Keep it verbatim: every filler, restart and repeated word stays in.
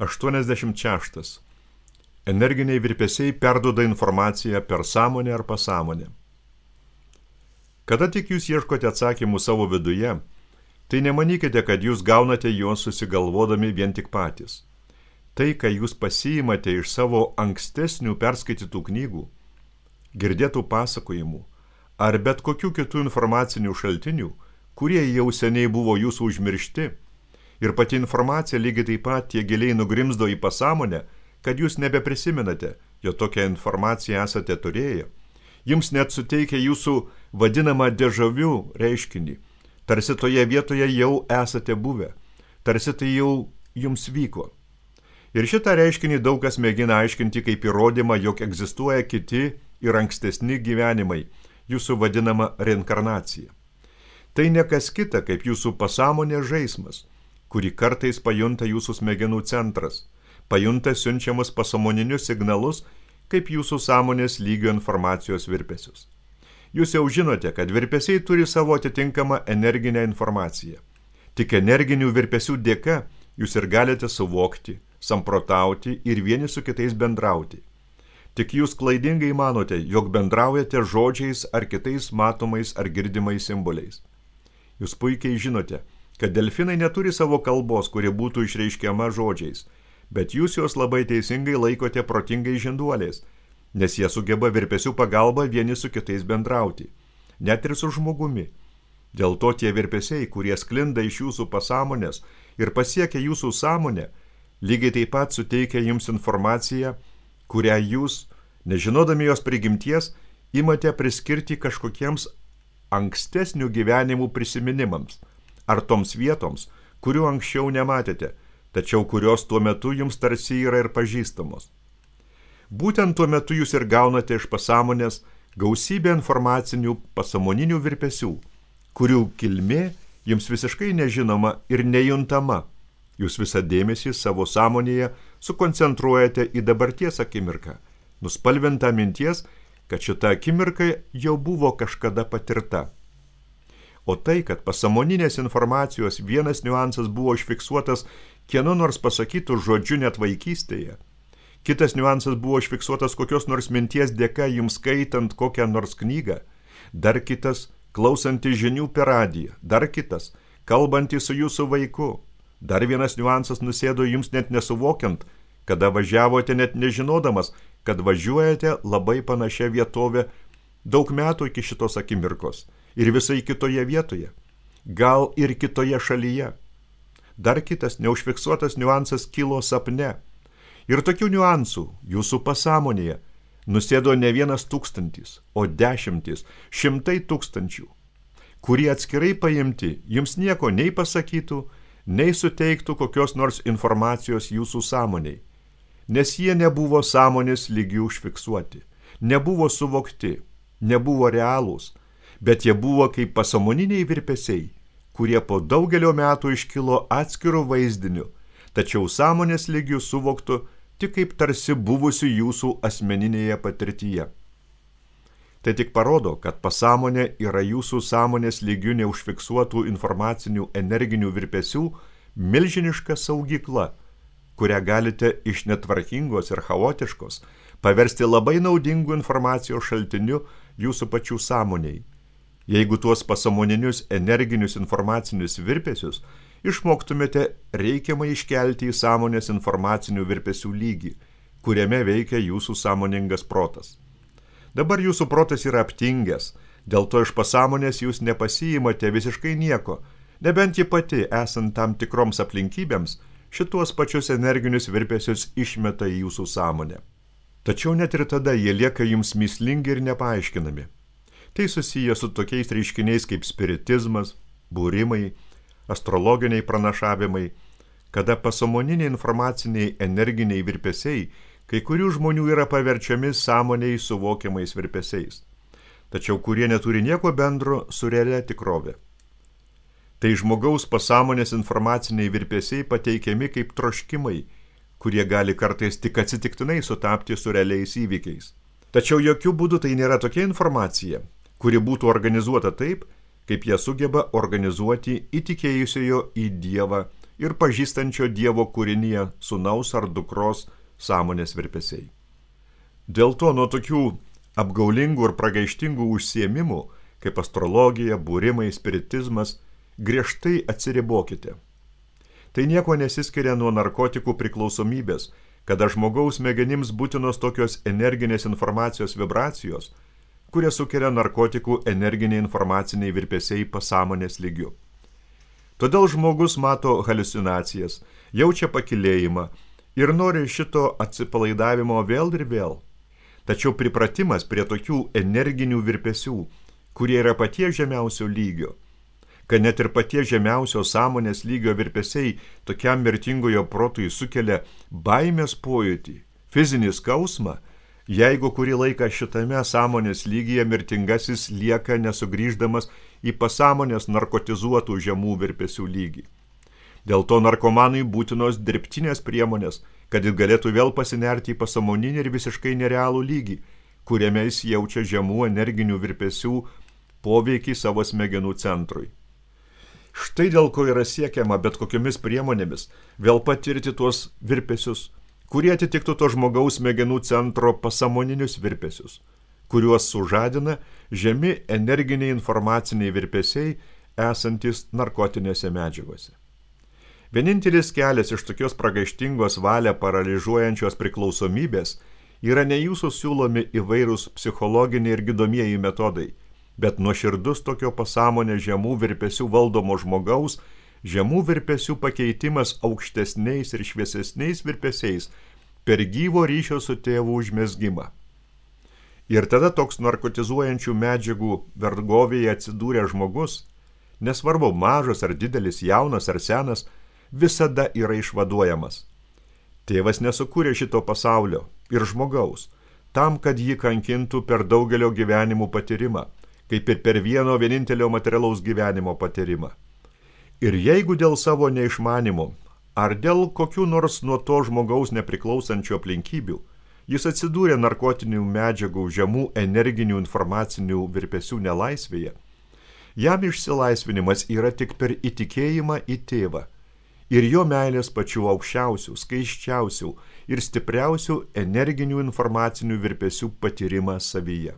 aštuoniasdešimt šeštas. Energiniai virpesiai perduoda informaciją per sąmonę ar pasąmonę. Kada tik jūs ieškote atsakymų savo viduje, tai nemanykite, kad jūs gaunate juos susigalvodami vien tik patys. Tai, ką jūs pasiimate iš savo ankstesnių perskaitytų knygų, girdėtų pasakojimų ar bet kokių kitų informacinių šaltinių, kurie jau seniai buvo jūsų užmiršti, ir pati informacija lygiai taip pat tiek giliai nugrimzdo į pasąmonę, kad jūs nebeprisimenate, jo tokią informaciją esate turėję. Jums net suteikia jūsų vadinamą dežavių reiškinį. Tarsi toje vietoje jau esate buvę, tarsi tai jau jums vyko. Ir šitą reiškinį daug kas mėgina aiškinti kaip įrodymą, jog egzistuoja kiti ir ankstesni gyvenimai, jūsų vadinama reinkarnacija. Tai ne kas kita, kaip jūsų pasąmonės žaismas, kurį kartais pajunta jūsų smegenų centras, pajunta siunčiamus pasąmoninius signalus, kaip jūsų sąmonės lygio informacijos virpesius. Jūs jau žinote, kad virpesiai turi savo atitinkamą energinę informaciją. Tik energinių virpesių dėka jūs ir galite suvokti, samprotauti ir vieni su kitais bendrauti. Tik jūs klaidingai manote, jog bendraujate žodžiais ar kitais matomais ar girdimais simboliais. Jūs puikiai žinote, kad delfinai neturi savo kalbos, kuri būtų išreiškiama žodžiais, bet jūs juos labai teisingai laikote protingai žinduoliais, nes jie sugeba virpesių pagalba vieni su kitais bendrauti, net ir su žmogumi. Dėl to tie virpesiai, kurie sklinda iš jūsų pasąmonės ir pasiekia jūsų sąmonę, lygiai taip pat suteikia jums informaciją, kurią jūs, nežinodami jos prigimties, imate priskirti kažkokiems ankstesnių gyvenimų prisiminimams, ar toms vietoms, kurių anksčiau nematėte, tačiau kurios tuo metu jums tarsi yra ir pažįstamos. Būtent tuo metu jūs ir gaunate iš pasąmonės gausybę informacinių pasąmoninių virpesių, kurių kilmė jums visiškai nežinoma ir nejuntama. Jūs visą dėmesį savo sąmonėje sukoncentruojate į dabarties akimirką, nuspalvintą minties, kad šita akimirka jau buvo kažkada patirta. O tai, kad pasąmoninės informacijos vienas niuansas buvo užfiksuotas kieno nors pasakytų žodžiu net vaikystėje, kitas niuansas buvo užfiksuotas kokios nors minties dėka jums skaitant kokią nors knygą, dar kitas klausantis žinių per radiją, dar kitas kalbantys su jūsų vaiku, dar vienas niuansas nusėdo jums net nesuvokiant, kada važiavote net nežinodamas, kad važiuojate labai panašią vietovę daug metų iki šitos akimirkos ir visai kitoje vietoje, gal ir kitoje šalyje. Dar kitas neužfiksuotas niuansas kilo sapne. Ir tokių niuansų jūsų pasąmonėje nusėdo ne vienas tūkstantis, o dešimtis, šimtai tūkstančių, kurie atskirai paimti jums nieko nei pasakytų, nei suteiktų kokios nors informacijos jūsų sąmoniai, nes jie nebuvo sąmonės lygių užfiksuoti, nebuvo suvokti, nebuvo realūs, bet jie buvo kaip pasąmoniniai virpesiai, kurie po daugelio metų iškilo atskirų vaizdinių, tačiau sąmonės lygių suvoktų tik kaip tarsi buvusių jūsų asmeninėje patirtyje. Tai tik parodo, kad pasąmonė yra jūsų sąmonės lygių neužfiksuotų informacinių energinių virpesių milžiniška saugykla, kurią galite iš netvarkingos ir chaotiškos paversti labai naudingų informacijos šaltiniu jūsų pačių sąmoniai. Jeigu tuos pasąmoninius energinius informacinius virpesius išmoktumėte reikiamai iškelti į sąmonės informacinių virpesių lygį, kuriame veikia jūsų sąmoningas protas. Dabar jūsų protas yra aptingęs, dėl to iš pasąmonės jūs nepasiimate visiškai nieko, nebent ji pati, esant tam tikroms aplinkybėms, šituos pačius energinius virpesius išmeta į jūsų sąmonę. Tačiau net ir tada jie lieka jums mįslingi ir nepaaiškinami. Tai susiję su tokiais reiškiniais kaip spiritizmas, būrimai, astrologiniai pranašavimai, kada pasąmoniniai informaciniai energiniai virpesiai kai kurių žmonių yra paverčiami sąmoniai suvokiamais virpesiais, tačiau kurie neturi nieko bendro su realia tikrove. Tai žmogaus pasąmonės informaciniai virpesiai pateikiami kaip troškimai, kurie gali kartais tik atsitiktinai sutapti su realiais įvykiais. Tačiau jokių būdų tai nėra tokia informacija, kuri būtų organizuota taip, kaip ją sugeba organizuoti įtikėjusiojo į Dievą ir pažįstančio Dievo kūrinyje sūnaus ar dukros sąmonės virpesiai. Dėl to nuo tokių apgaulingų ir pragaištingų užsiėmimų, kaip astrologija, būrimai, spiritizmas, griežtai atsiribokite. Tai nieko nesiskiria nuo narkotikų priklausomybės, kada žmogaus smegenims būtinos tokios energinės informacijos vibracijos, kurie sukelia narkotikų energiniai informaciniai virpesiai pasąmonės lygiu. Todėl žmogus mato haliucinacijas, jaučia pakilėjimą ir nori šito atsipalaidavimo vėl ir vėl. Tačiau pripratimas prie tokių energinių virpesių, kurie yra paties žemiausio lygio, kad net ir paties žemiausio sąmonės lygio virpesiai tokiam mirtingojo protui sukelia baimės pojūtį, fizinį skausmą, jeigu kurį laiką šitame sąmonės lygyje mirtingasis lieka nesugrįždamas į pasąmonės narkotizuotų žemų virpesių lygį. Dėl to narkomanui būtinos dirbtinės priemonės, kad jis galėtų vėl pasinerti į pasąmoninį ir visiškai nerealų lygį, kuriame jis jaučia žemų energinių virpesių poveikį savo smegenų centrui. Štai dėl ko yra siekiama bet kokiomis priemonėmis vėl patirti tuos virpesius, kurie atitiktų to žmogaus smegenų centro pasąmoninius virpesius, kuriuos sužadina žemi energiniai informaciniai virpesiai esantis narkotinėse medžiagose. Vienintelis kelias iš tokios pragaištingos valią paralyžiuojančios priklausomybės yra ne jūsų siūlomi įvairūs psichologiniai ir gydomieji metodai, bet nuoširdus tokio pasąmonės žemų virpesių valdomo žmogaus, žemų virpesių pakeitimas aukštesniais ir šviesesniais virpesiais per gyvo ryšio su tėvu užmezgimą. Ir tada toks narkotizuojančių medžiagų vergovėje atsidūrė žmogus, nesvarbu mažas ar didelis, jaunas ar senas, visada yra išvaduojamas. Tėvas nesukūrė šito pasaulio ir žmogaus, tam, kad jį kankintų per daugelio gyvenimų patyrimą, kaip ir per vieno vienintelio materialaus gyvenimo patyrimą. Ir jeigu dėl savo neišmanimo, ar dėl kokių nors nuo to žmogaus nepriklausančių aplinkybių, jis atsidūrė narkotinių medžiagų žemų energinių informacinių virpesių nelaisvėje, jam išsilaisvinimas yra tik per įtikėjimą į tėvą ir jo meilės pačių aukščiausių, skaiščiausių ir stipriausių energinių informacinių virpesių patyrimą savyje.